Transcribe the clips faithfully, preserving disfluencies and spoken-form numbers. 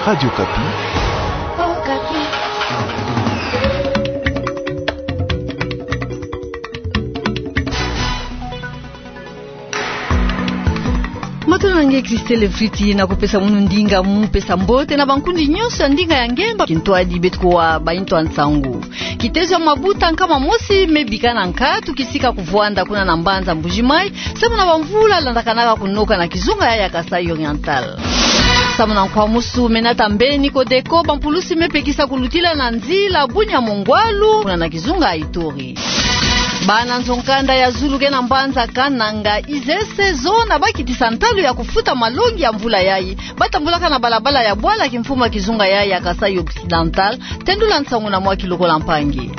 Radio Okapi. Matondo na nge Christelle Friti, na kupesa munu ndinga mu pesa mbote na bankundi nyonso ya ndinga ya ngemba. Kintwadi beto kuwa baintu ya nsangu. Kitezo ya mabuta nkama mosi me bika na nkatu kisika kuvwanda kuna na mbanza Mbuji-Mayi, samu na bamvula landakanaka kunoka na kizunga ya, ya Kasaï Oriental. Samu na nkwamusu me nata mbeni Codeco, bampulusi me pekisa kulutila na nzila Bunia-Mongwalu, kuna na kizunga ya Ituri. Bana nzo-nkanda ya zulu ke na mbanza Kananga, I Z S, zona bakitisa ntalu ya kufuta malongi ya mvula yayi, batambulaka na balabala ya bwala kimfumu ya kizunga yayi ya Kasaï Occidental. Tendula nsangu na Mwaki Lokola Mpangi.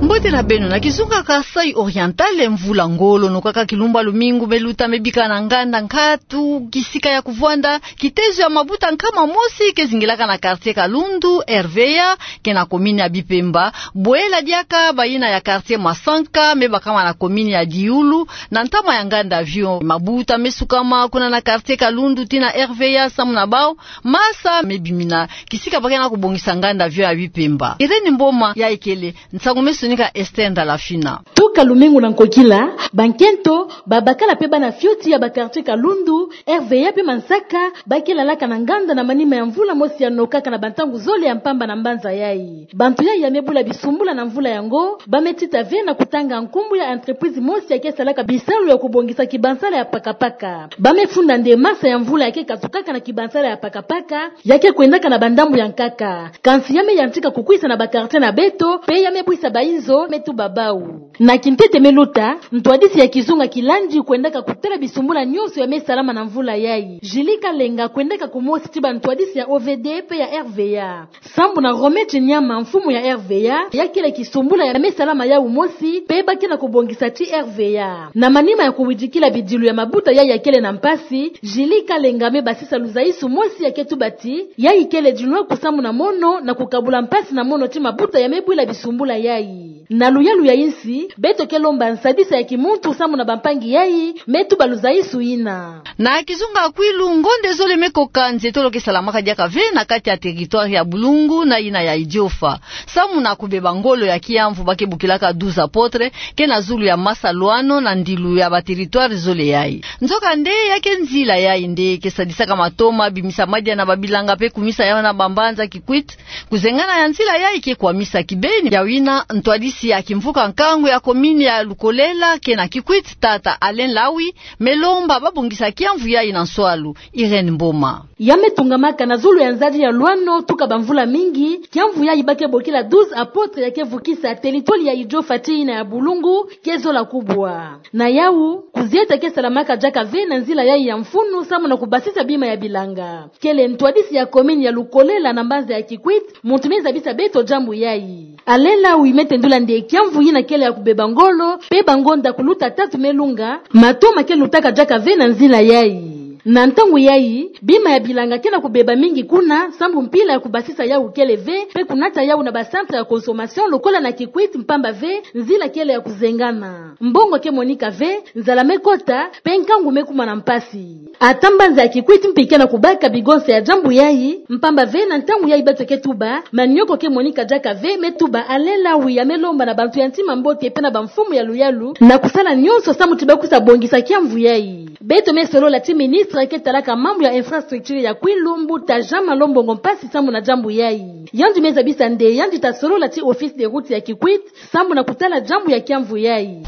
Mbote na beno. Na kizunga Kasaï Oriental, mvula ngolo nokaka kilumbu ya lumingu me luta me bika na nganda nkatu kisika ya kuvwanda. Kitezo ya mabuta nkama mosi ke zingilaka na quartier Kalundu, R V A, ke na commune ya Bipemba. Bwela diaka bayina ya quartier Masanka me bakama na commune ya Dioula, na ntama ya nganda avion. Mabuta me sukama kuna na quartier Kalundu tii na R V A samu na bau masa me bimina kisika ba ke na kubongisa nganda avion ya Bipemba. Irène Mboma ya ikele, nsangu me sonika Esther Ndalafina. Tuka lumingu na nkokila, bankento, babakala pe bana fioti ya ba quartier Kalundu, R V A pe Masanka, ba ke lalaka na nganda na manima ya mvula mosi ya nokaka na bantangu zole ya mpamba na mbanza yayi. Bantu yayi ya me bula bisumbula na mvula yango, ba me tita ve na kutanga nkumbu ya entreprise mosi ya ke salaka bisalu ya kubongisa kibansala ya pakapaka. Ba me funda nde masa ya mvula ya ke katukaka na kibansala ya pakapaka, ya ke kwendaka na bandambu ya nkaka. Kansi ya me yantika kukwisa na ba quartier na beto, pe ya me bwisa bainzo me tuba bau. Na kintete me luta, ntwadisi ya kizunga kilandi kwendaka kutala bisumbula nyonso ya me salama na mvula yayi. Julie Kalenga kwendaka kumosi ti bantwadisi ya O V D pe ya R V A. Sambu na Romain Chinyama, mfumu ya R V A, ya kele kisumbula ya me salama yawu mosi, pe ba ke na kubongisa ti R V A. Na manima ya kuwidikila bidilu ya mabuta yayi ya kele na mpasi, Julie Kalenga me basisa luzaisu mosi ya ke tuba ti, yayi kele dinwa kusamuna mono na kukabula mpasi na mono ti mabuta ya me bwila bisumbula yayi. Na luyalu ya insi, beto ke lomba nsadisa ya kimuntu samuna bampangi yayi me tuba luzaisu yina. Na kizunga Kwilu, ngonde zole me koka, nzietolo ke salamaka diaka ve na kati ya territoire ya Bulungu na yina ya Idiofa. Samuna kubeba ngolo ya kiamvu ba ke bokilaka douze apôtres, ke na zulu ya masa Luano na ndilu ya ba territoire zole yayi. Nzokande ya ke nzila yayi nde ke sadisaka matoma bimisa madia na babilanga pe kumisa yau na bambanza Kikwit. Kuzengana ya nzila yayi ke kwamisa kibeni. Yawina, ntwadisi ya kimvuka nkangu ya commune ya Lukolela ke na Kikwit, tata Alain Lawi, me lomba ba bongisa kiamvu yayi na nswalu. Irène Mboma. Ya me tungamaka na zulu ya nzadi ya Luano tuka bamvula mingi, kiamvu yayi ba ke bokila douze apôtres ya ke vukisa territoire ya Idiofa ti yina ya Bulungu, ke zola kubwa. Na yau, kuzieta ke salamaka diaka ve na nzila yayi ya mfunu samuna kubasisa bima ya bilanga. Kele ntwadisi ya commune ya Lukolela na mbanza ya Kikwit, muntu me zabisa beto diambu yayi. Alain Lawi me tendula nde kiamvu yina kele ya kubeba ngolo, pe bangonda kuluta tatu me lunga, matoma ke lutaka diaka ve na nzila yayi. Na ntangu yayi, bima ya bilanga ke na kubeba mingi kuna, sambu mpila ya kubasisa yau kele ve, pe kunata yau na ba centre ya consommation lokola na Kikwit, mpamba ve nzila kele ya kuzengana. Mbongo ke monika ve, nzala me kota, pe nkangu me kuma na mpasi. Ata mbanza ya Kikwit mpi ke na kubaka bigonse ya diambu yayi, mpamba ve na ntangu yayi beto ke tuba, manioko ke monika diaka ve, me tuba Alain Lawi ya me lomba na bantu ya ntima mbote pe na bamfumu ya luyalu, na kusala nyonso samu ti ba kusa bongisa kiamvu yayi. Beto me solola ti ministre ke talaka mambu ya infrastructure ya Kwilu, mbuta Jean Malo Mbongo Mpasi, samuna diambu yayi. Yandi me zabisa nde yandi ta solola ti office de route ya Kikwit, samuna kutala diambu ya kiamvu yayi.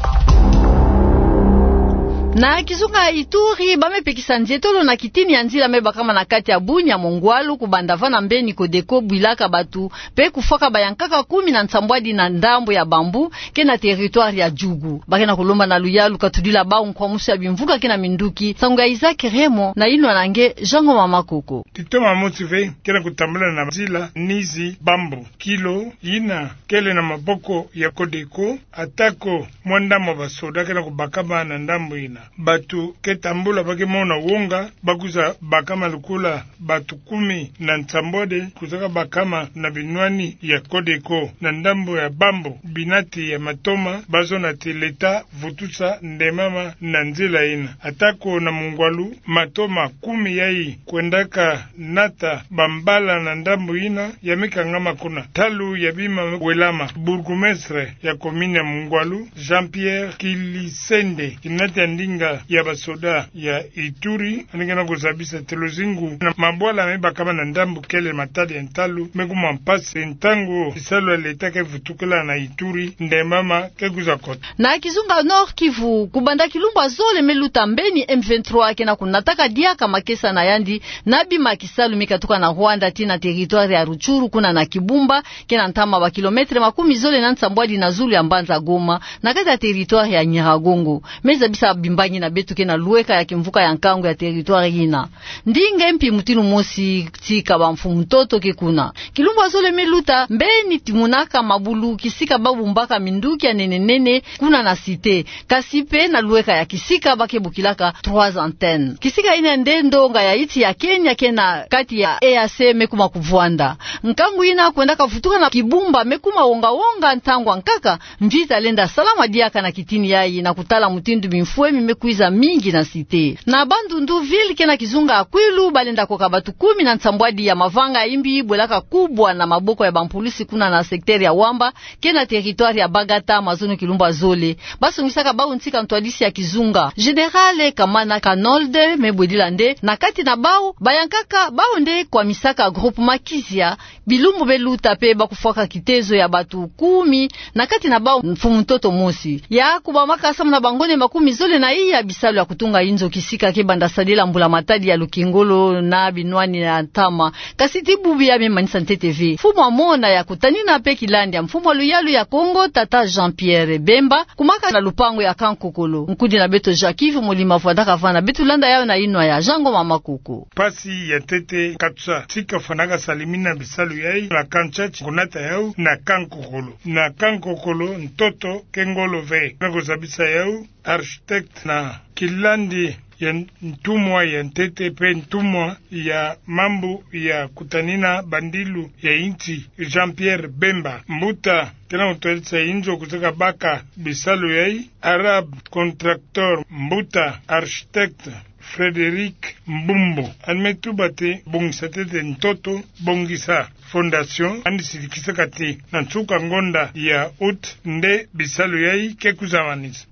Na kizunga Ituri, ba me pekisa nzietolo na kitini ya nzila me bakama na kati ya Bunia Mongwalu, kubanda va na mbeni Codeco bwilaka batu, pe kufwaka bayankaka kumi na nsambwadi na ndambu ya Bambou, ke na territoire ya Djugu. Ba ke na kulomba na luyalu katudila bau nkwamusu ya bimvuka ke na minduki. Nsangu ya Isaac Raymond na yinwa na nge Jean Ngoma Makoko. Titoma mosi ve ke na kutambula na nzila Nizi Bambou, kilo yina kele na maboko ya Codeco, atako mwanda mwa basoda ke na kubakama na ndambu yina. Bato ke tambula ba ke mona wonga, ba kwiza bakama lokola bato kumi na nsambwadi, kwizaka bakama na binwani ya Codeco, na ndambo ya Bambo, binati ya matoma, ba zonza ti l'État vutusa ndemama na nzila ina. Atako na mungwalu, matoma kumi yayi kwendaka nata bambala na ndambo ina, ya me kangama kuna. Ntalu ya bima welama, bourgmestre ya commune ya Mungwalu, Jean-Pierre Kilisende, kiminati ya ndinga ya basoda ya Ituri, yandi ke na kuzabisa ti luzingu na mabwala me bakama na ndambo kele matadi ya ntalu, me kuma mpasi ntangu bisalu ya l'État ke vutukila na Ituri, ndemama ke kwiza kota. Na kizunga Nord-Kivu, kubanda kilumbu ya zole me luta mbeni M vingt-trois ke na kunataka diaka makesa na yandi, na bima kisalu me katuka na Rwanda tii na territoire ya Rutshuru, kuna na Kibumba, ke na ntama ba kilomètre makumi zole na nsambwadi na zulu ya mbanza Goma, na kati ya territoire ya Nyiragongo. Me zabisa bimbangi na beto ke na lweka ya kimvuka ya nkangu ya territoire ina. Ndinga mpi mutindu mosi tika bamfumu ntoto ke kuna. Kilumbu ya zole me luta, mbeni timunaka mabulu kisika ba bumbaka minduki ya nene nene kuna na Cité. Kasi mpe na lweka ya kisika ba ke bokilaka Trois Antennes. Kisika ina nde ndonga ya insi ya Kenya ke na kati ya E A C me kuma kuvwanda. Nkangu ina kwendaka vutuka na Kibumba me kuma wonga-wonga ntangu ya nkaka, mvita lenda salama diaka na kitini yayi na kutala mutindu bimfwemi me kwiza mingi na Cité. Na Bandundu ville ke na kizunga ya Kwilu, balenda koka bato kumi na nsambwadi ya mavanga ya imbi bwelaka kubwa na maboko ya bampulisi kuna na secteur ya Wamba, ke na territoire ya Bagata, mazono kilumbu ya zole. Ba songisaka bau ntsika ntwadisi ya kizunga. Général Kamana Kanold me bwedila nde, na kati na bau, bayankaka bau nde kwamisaka groupement Kizia, bilumbu me luta mpe ba kufwaka kitezo ya bato kumi, na kati na bau mfumu ntoto mosi. Ya kubamaka samu na bangone makumi zole na iya bisalu ya kutunga inzo kisika ke banda sadila mbula-matadi ya lukengolo na binwani ya ntama. Kasi ti bubu ya me manisa ntete ve. Mfumu Amona ya kutanina mpe kilandi ya mfumu ya luyalu ya Kongo, tata Jean-Pierre Bemba, kumaka na lupangu ya Kankokolo. Nkudi na beto Jacques Yves Molima vwandaka vana, beto landa yau na inwa ya Jean Ngoma Makoko. Mpasi ya ntete katusa tika fwanaka salimina bisalu yayi na Kantsatsi, kunata yau na Kankokolo. Na Kankokolo, ntoto ke ngolo ve. Na kuzabisa yau architecte na kilandi ya ntumwa ya ntete mpe ntumwa ya mambu ya kutanina bandilu ya insi, Jean-Pierre Bemba. Mbuta ke na kutwadisa inzo kuzeka baka bisalu yayi, Arabe Contracteur, mbuta architecte Frédéric Mbumbu. Yandi me tuba ti bongisa ntete ntoto, bongisa fondation, yandi sidikisaka ti na nsuka ngonda ya août nde bisalu yayi ke kwiza manisa.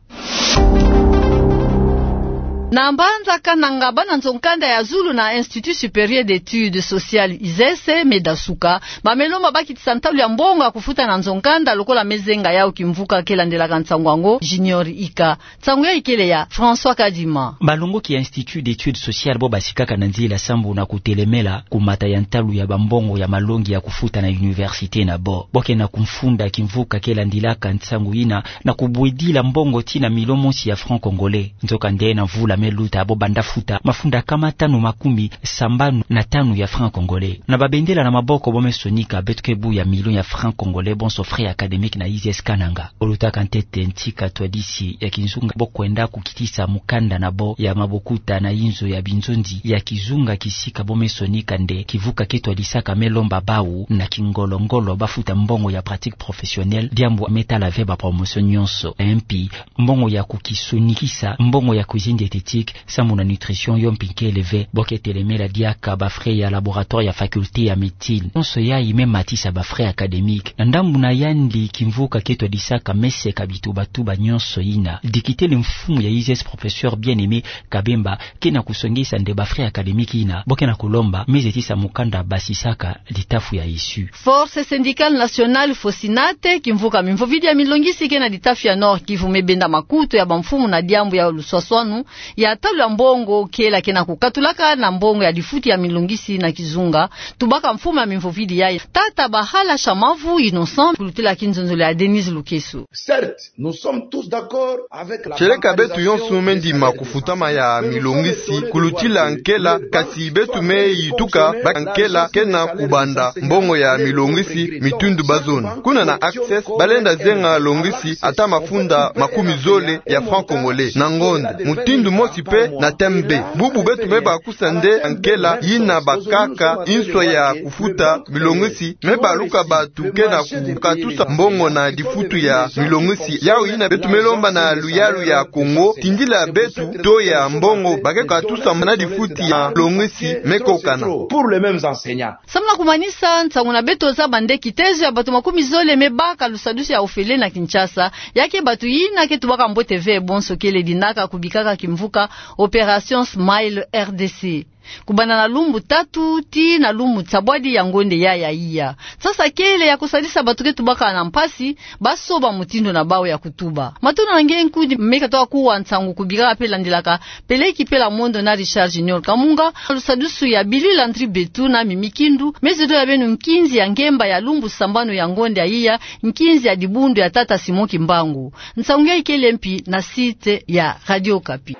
Na mbanza Kananga, bana nzo-nkanda ya zulu na Institut Supérieur d'Études Sociales, ISES, me dasuka. Ba me lomba ba kitisa ntalu ya mbongo ya kufuta na nzo-nkanda, lokola me zenga yau kimvuka ke landelaka nsangu yango, Junior Ika. Nsangu yayi kele ya François Kadima. Balongoki ya Institut d'Études Sociales bo basikaka na nzila sambu na kutelemela kumata ya ntalu ya bambongo ya malongi ya kufuta na université na bo. Bo ke na kumfunda kimvuka ke landilaka nsangu yina na kubwidila mbongo tii na milio mosi ya francs congolais. Nzokande na mvula me luta, bo banda futa mafunda kama tanu makumi sambanu na tanu ya francs congolais. Na babendela na maboko, bo me sonika beto ke bu ya milio ya francs congolais bonso frais académiques na ISES Kananga. Bo lutaka ntete ntika twadisi ya kizunga, bo kwenda kukitisa mukanda na bo ya mabokuta na inzo ya binzonzi ya kizunga kisika bo me sonika nde kivuka ke twadisaka me lomba bau na kingolo-ngolo ba futa mbongo ya pratique professionnelle, diambu me tala ve ba promotion nyonso. Mpi mbongo ya kukisonikisa, mbongo ya cuisine diététique, sambu na nutrition yo mpi kele ve. Bo ke telemela diaka ba frais ya laboratoire ya faculté ya médecine. Nyonso yayi me matisa ba frais académiques. Na ndambu na yandi, kimvuka ke twadisaka me seka bituba-tuba nyonso yina. Dikitele mfumu ya ISES, professeur Bien-Aimé Kabemba, ke na kusongisa nde ba frais académiques yina bo ke na kulomba me zetisa mukanda basisaka litafu ya ISU. Force Syndicale Nationale, FOSINAT, kimvuka mimvovidi ya milongisi ke na litafu ya Nord-Kivu, me benda makutu ya bamfumu na diambu ya luswaswanu Ya talu ya mbongo kela ke na kukatulaka na mbongo ya difuti ya milongisi na kizunga, tubaka mfumu ya mimvovidi yayi, tata Bahala Shamavu Innocent, kulutila kinzonzolo ya Denise Lukeso. Certes, nous sommes tous d'accord avec la bancarisation. Tieleka beto yonso me ndima kufutama ya milongisi kulutila nkela, kasi beto me yituka baka nkela ke na kubanda mbongo ya milongisi mitindu bazona. Kuna na Access, balenda zenga longisi ata mafunda makumi zole ya franc congolais na ngonda. Mutindu mosi mpe na T M B. Bubu beto me baka kusa nde nkela yina bakaka nswa ya kufuta milongisi, me baluka bato ke na kukatusa mbongo na difutu ya milongisi. Yawu yina beto me lomba na luyalu ya Kongo, tindila beto taux ya mbongo ba ke katusa na difutu ya milongisi me kokana. Pour les mêmes enseignants. Samu na kumanisa, nsangu na beto zaba nde kitezo ya bato makumi zole me baka lusadusu ya ofele na Kinshasa, ya ke bato yina ke tubaka mbote ve bonso kele dinaka kubikaka kimvuka Opération Smile R D C. Kubanda na lumbu tatu tii na lumbu nsambwadi ya ngonda yayi ya iya, nsasa kele ya kusadisa bato ke tubaka na mpasi basoba mutindu na bawu ya kutuba. Matondo na nge nkundi me katoka kuwa nsangu kubikaka mpe landilaka Peleki Pela Mondo na Richard Junior Kamunga, lusadusu ya Billy Landry Betu na Mimi Kindu, me zodo ya beno nkinzi ya ngemba ya lumbu sambanu ya ngonda ya iya, nkinzi ya dibundu ya tata Simon Kimbangu. Nsangu yayi kele mpi na site ya Radio Okapi.